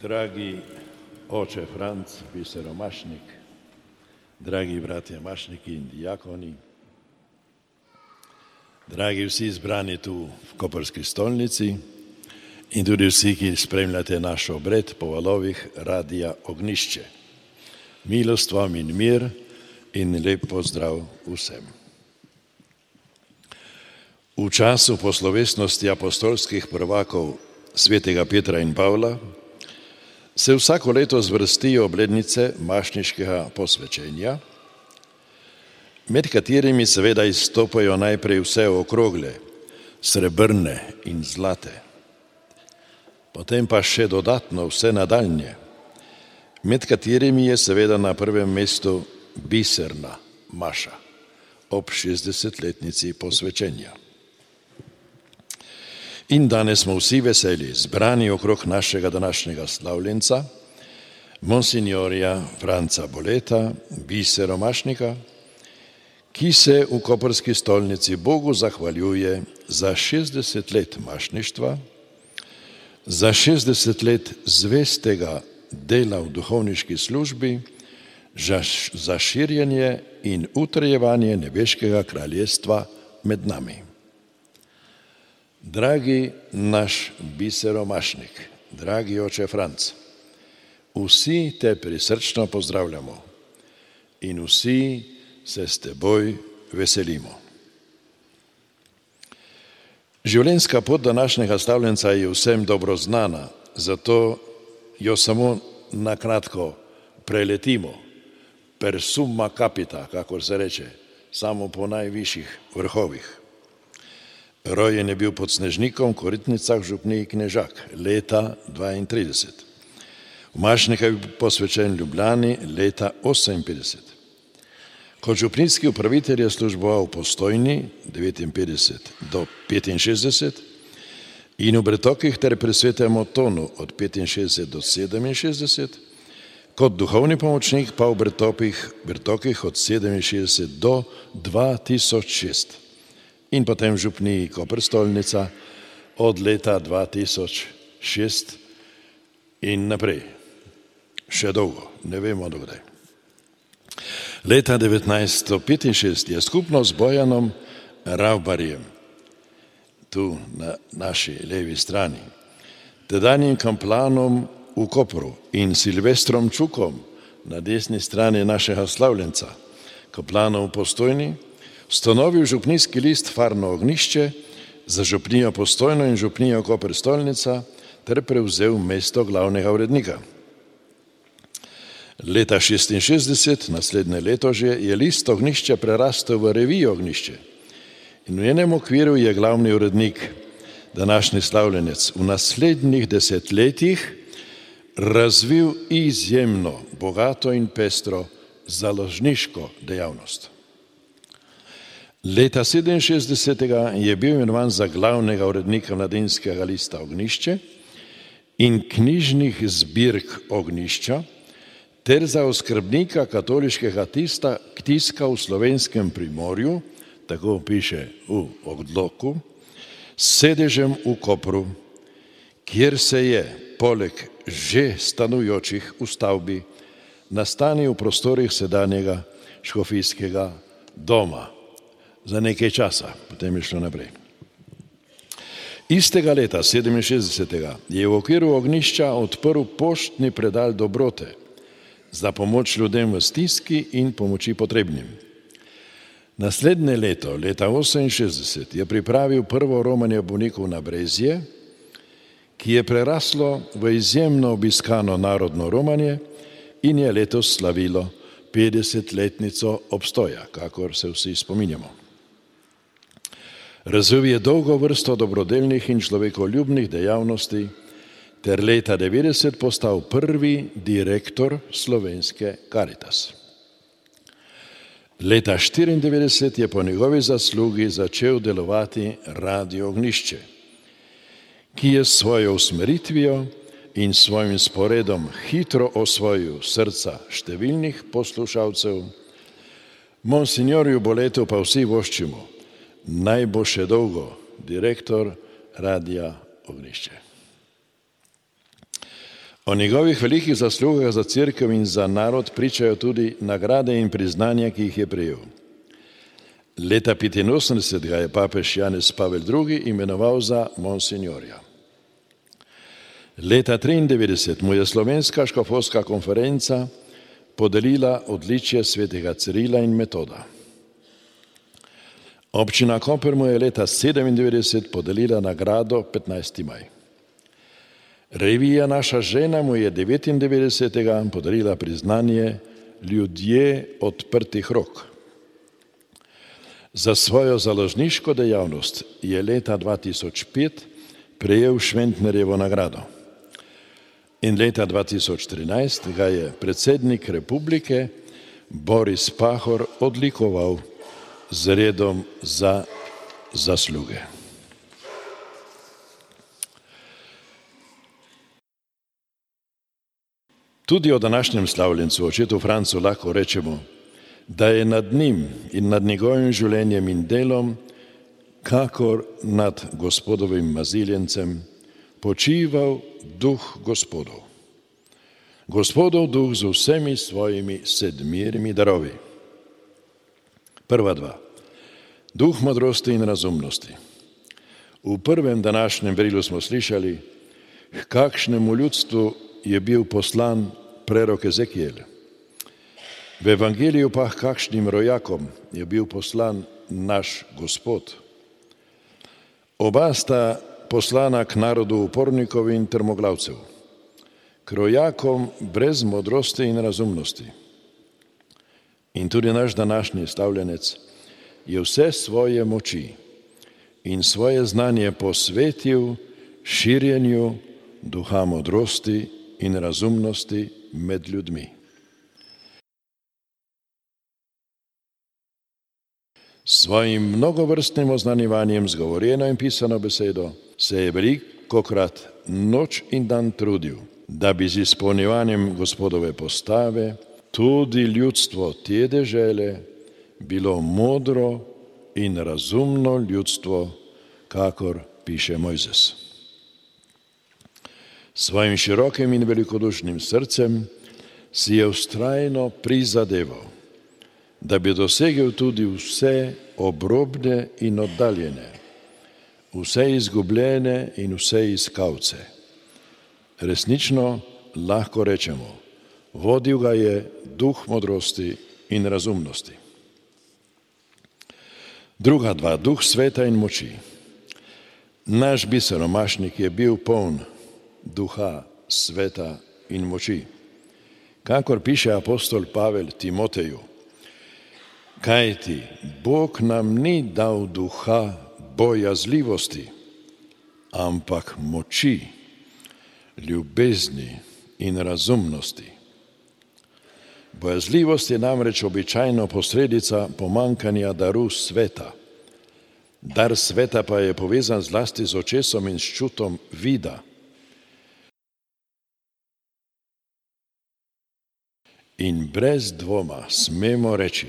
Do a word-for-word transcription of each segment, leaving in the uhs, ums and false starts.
Dragi oče Franc, bisero Mašnik, dragi bratje Mašniki in dijakoni, dragi vsi zbrani tu v Koprski stolnici in tudi vsi, ki spremljate naš obred po valovih Radia Ognišče. Milost vam in mir in lep pozdrav vsem. V času po slovesnosti apostolskih prvakov svetega Petra in Pavla se vsako leto zvrstijo obletnice mašniškega posvečenja, med katerimi seveda izstopajo najprej vse okrogle, srebrne in zlate, potem pa še dodatno vse nadaljnje, med katerimi je seveda na prvem mestu biserna maša ob šestdesetletnici posvečenja. In danes smo vsi veseli, zbrani okrog našega današnjega slavljenca, monsignorja Franca Boleta, bisero Mašnika, ki se v Koprski stolnici Bogu zahvaljuje za šestdeset let mašništva, za šestdeset let zvestega dela v duhovniški službi, za širjenje in utrjevanje nebeškega kraljestva med nami. Dragi naš bisero Mašnik, dragi oče Franc, vsi te prisrčno pozdravljamo in vsi se s teboj veselimo. Življenjska pot današnjega slavljenca je vsem dobro znana, zato jo samo na kratko preletimo, per summa capita, kakor se reče, samo po najvišjih vrhovih. Rojen je bil pod Snežnikom, Koritnicah, v župniji Knežak, leta dvaintrideset. V Mašnika je bil posvečen Ljubljani leta oseminpetdeset. Kot župnijski upravitelj je služboval v Postojni devetinpetdeset do petinšestdeset in v Brtokih ter pri Svetem Otonu od petinšestdeset do sedeminšestdeset, kot duhovni pomočnik pa v Brtokih, Brtokih od sedeminšestdeset do dva tisoč šest. In potem v župniji Koprstolnica od leta dva tisoč šest in naprej. Še dolgo, ne vemo dokdaj. Leta devetnajststo petinšestdeset je skupno z Bojanom Ravbarjem, tu na naši levi strani, tedanjim kamplanom v Kopru in Silvestrom Čukom na desni strani našega slavljenca, kaplanom v Postojni, ustanovil župnijski list Farno Ognišče za župnijo Postojno in župnijo Koprstolnica ter prevzel mesto glavnega urednika. Leta šestinšestdeset, naslednje leto že, je list Ognišče prerastel v revijo Ognišče in v njenem okviru je glavni urednik, današnji slavljenec, v naslednjih desetletjih razvil izjemno bogato in pestro založniško dejavnost. Leta sedeminšestdesetega je bil imenovan za glavnega urednika mladinskega lista Ognišče in knjižnih zbirk Ognišča ter za oskrbnika katoliškega tista, tiska v Slovenskem Primorju, tako piše v odloku, s sedežem v Kopru, kjer se je poleg že stanujočih v stavbi nastanil v prostorih sedanjega škofijskega doma. Za nekaj časa, potem je šlo naprej. Istega leta, sedeminšestdesetega, je v okviru Ognišča odprl poštni predal dobrote za pomoč ljudem v stiski in pomoči potrebnim. Naslednje leto, leta oseminšestdeset, je pripravil prvo romanje bolnikov na Brezje, ki je preraslo v izjemno obiskano narodno romanje in je letos slavilo petdesetletnico obstoja, kakor se vsi spominjamo. Razvil je dolgo vrsto dobrodelnih in človekoljubnih dejavnosti ter leta devetdeset postal prvi direktor Slovenske Karitas. Leta štiriindevetdeset je po njegovi zaslugi začel delovati Radio Ognišče, ki je s svojo usmeritvijo in svojim sporedom hitro osvojil srca številnih poslušalcev. Monsignorju Boletu pa vsi voščimo, naj bo še dolgo direktor Radia Ognišče. O njegovih velikih zaslugah za cerkev in za narod pričajo tudi nagrade in priznanja, ki jih je prejel. Leta petinosemdeset ga je papež Janez Pavel drugi imenoval za monsinjorja. Leta triindevetdeset mu je Slovenska škofovska konferenca podelila odličje svetega Cirila in Metoda. Občina Koper mu je leta sedemindevetdeset podelila nagrado petnajsti maj. Revija Naša žena mu je devetindevetdesetega podarila priznanje Ljudje odprtih rok. Za svojo založniško dejavnost je leta dva tisoč pet prejel Šventnerjevo nagrado. In leta dva tisoč trinajst ga je predsednik republike Boris Pahor odlikoval z redom za zasluge. Tudi o današnjem slavljencu, očetu Francu, lahko rečemo, da je nad njim in nad njegovim življenjem in delom, kakor nad Gospodovim maziljencem, počival duh Gospodov. Gospodov duh z vsemi svojimi sedmirimi darovi. Prva dva. Duh modrosti in razumnosti. V prvem današnjem berilu smo slišali, k kakšnemu ljudstvu je bil poslan prerok Ezekiel. V evangeliju pa k kakšnim rojakom je bil poslan naš Gospod. Oba sta poslana k narodu upornikov in trmoglavcev, k rojakom brez modrosti in razumnosti. In tudi naš današnji slavljenec je vse svoje moči in svoje znanje posvetil širjenju duha modrosti in razumnosti med ljudmi. Svojim mnogovrstnim oznanjevanjem z govorjeno in pisano besedo se je velikokrat noč in dan trudil, da bi z izpolnjevanjem Gospodove postave tudi ljudstvo te dežele bilo modro in razumno ljudstvo, kakor piše Mojzes. Svojim širokim in velikodušnim srcem si je vztrajno prizadeval, da bi dosegel tudi vse obrobne in oddaljene, vse izgubljene in vse iskalce. Resnično lahko rečemo, vodil ga je duh modrosti in razumnosti. Druga dva, duh sveta in moči. Naš biseromašnik je bil poln duha sveta in moči. Kakor piše apostol Pavel Timoteju, kajti Bog nam ni dal duha bojazljivosti, ampak moči, ljubezni in razumnosti. Bojazljivost je namreč običajno posledica pomankanja daru sveta. Dar sveta pa je povezan zlasti z očesom in s čutom vida. In brez dvoma smemo reči,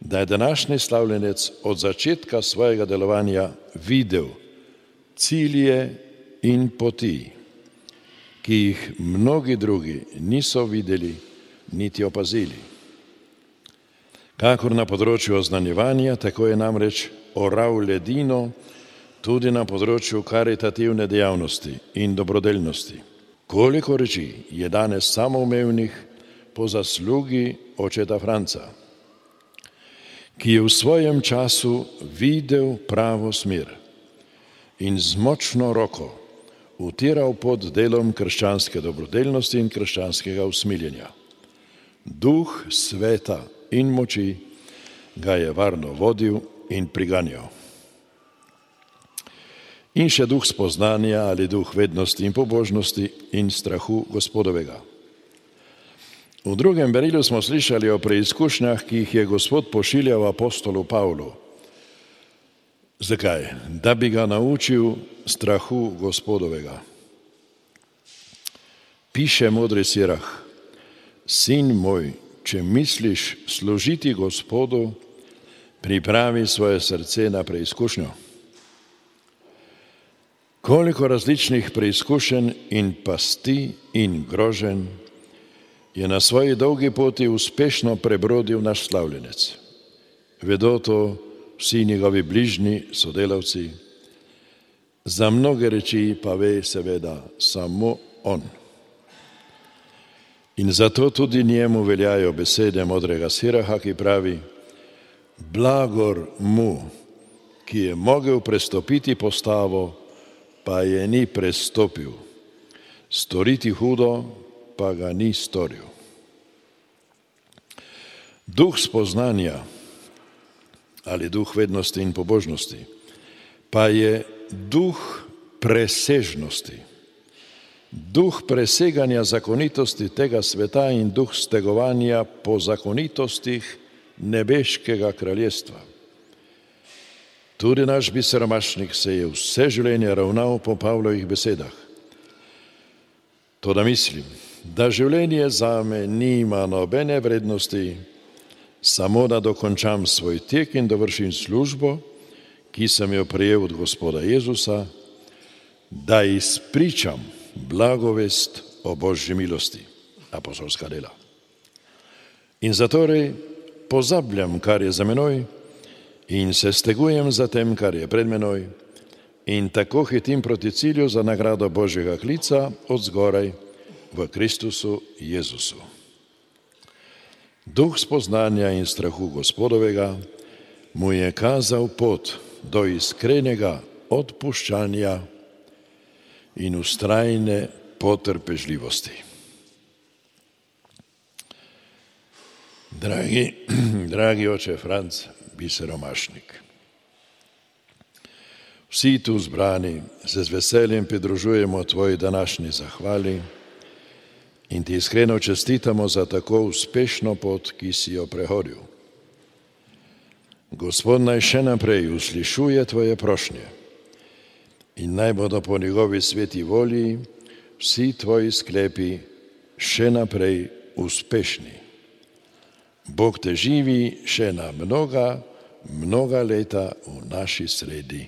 da je današnji slavljenec od začetka svojega delovanja videl cilje in poti, ki jih mnogi drugi niso videli niti opazili. Kakor na področju oznanjevanja, tako je namreč oral ledino tudi na področju karitativne dejavnosti in dobrodelnosti. Koliko reči je danes samoumevnih po zaslugi očeta Franca, ki je v svojem času videl pravo smer in z močno roko utiral pod delom krščanske dobrodelnosti in krščanskega usmiljenja. Duh sveta in moči ga je varno vodil in priganjal. In še duh spoznanja ali duh vednosti in pobožnosti in strahu Gospodovega. V drugem berilu smo slišali o preizkušnjah, ki jih je Gospod pošiljal apostolu Pavlu. Zakaj? Da bi ga naučil strahu Gospodovega. Piše modri Sirah, sin moj, če misliš služiti Gospodu, pripravi svoje srce na preizkušnjo. Koliko različnih preizkušenj in pasti in groženj je na svoji dolgi poti uspešno prebrodil naš slavljenec. Vedo to vsi njegovi bližnji sodelavci, za mnoge reči pa ve seveda samo on. In zato tudi njemu veljajo besede modrega Siraha, ki pravi: blagor mu, ki je mogel prestopiti postavo, pa je ni prestopil, storiti hudo, pa ga ni storil. Duh spoznanja ali duh vednosti in pobožnosti pa je duh presežnosti, duh preseganja zakonitosti tega sveta in duh stegovanja po zakonitostih nebeškega kraljestva. Tudi naš biseromašnik se je vse življenje ravnal po Pavlovih besedah. Toda mislim, da življenje zame nima nobene vrednosti, samo da dokončam svoj tek in dovršim službo, ki sem jo prejel od Gospoda Jezusa, da izpričam blagovest o Božji milosti, apostolska dela. In zatorej pozabljam, kar je za menoj, in se stegujem za tem, kar je pred menoj, in tako hitim proti cilju za nagrado Božjega klica od zgoraj v Kristusu Jezusu. Duh spoznanja in strahu Gospodovega mu je kazal pot do iskrenega odpuščanja in vztrajne potrpežljivosti. Dragi, dragi oče Franc, biseromašnik, vsi tu zbrani se z veseljem pridružujemo tvoji današnji zahvali in ti iskreno čestitamo za tako uspešno pot, ki si jo prehodil. Gospod naj še naprej uslišuje tvoje prošnje in naj bodo po njegovi sveti volji vsi tvoji sklepi še naprej uspešni. Bog te živi še na mnoga, mnoga leta v naši sredi.